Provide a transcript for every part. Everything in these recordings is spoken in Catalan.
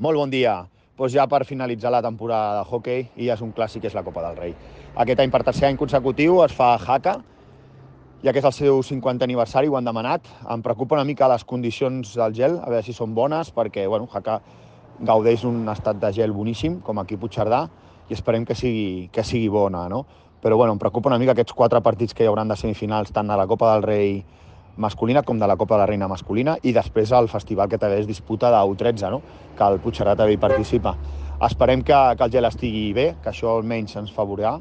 Molt bon dia. Doncs ja per finalitzar la temporada de hoquei i ja és un clàssic, és la Copa del Rei. Aquest any, per tercer any consecutiu, es fa Haka, ja que és el seu 50è aniversari, ho han demanat. Em preocupa una mica les condicions del gel, a veure si són bones, perquè Haka gaudeix d'un estat de gel boníssim, com aquí a Puigcerdà, i esperem que sigui bona, no? Però em preocupa una mica aquests 4 partits que hi hauran de semifinals, tant a la Copa del Rei masculina com de la Copa de la Reina masculina, i després el festival que també es disputa de U13, no? Que el Puigcerdà també hi participa. Esperem que el gel estigui bé, que això almenys ens favorirà,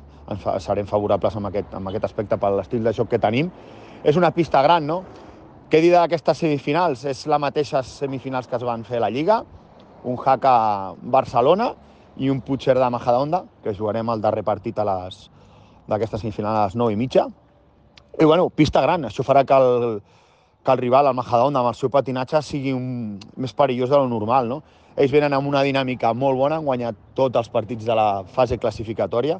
serem favorables amb aquest aspecte per l'estil de joc que tenim. És una pista gran, no? Què dir d'aquestes semifinals? És la mateixa semifinals que es van fer a la Lliga, un Haka Barcelona i un Puigcerdà Majadahonda, que jugarem el darrer partit d'aquesta semifinal a les 9:30. I pista gran, això farà que el rival, el Majadahonda, amb el seu patinatge, sigui més perillós de lo normal, no? Ells venen amb una dinàmica molt bona, han guanyat tots els partits de la fase classificatòria,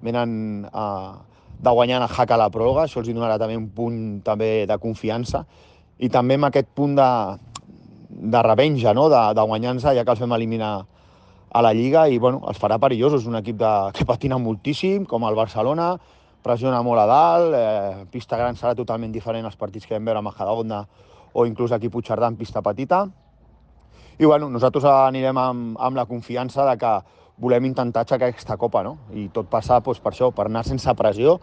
venen de guanyar a Haka a la pròrroga, això els donarà també un punt també de confiança, i també amb aquest punt de revenja, no? de guanyar-nos, ja que els vam eliminar a la Lliga, i els farà perillosos. És un equip que patina moltíssim, com el Barcelona, pressiona molt a dalt, pista gran serà totalment diferent als partits que vam veure a Majadahonda o inclús aquí a Puigcerdà en pista petita. I nosaltres anirem amb la confiança de que volem intentar aixecar aquesta Copa, no? I tot passa per això, per anar sense pressió,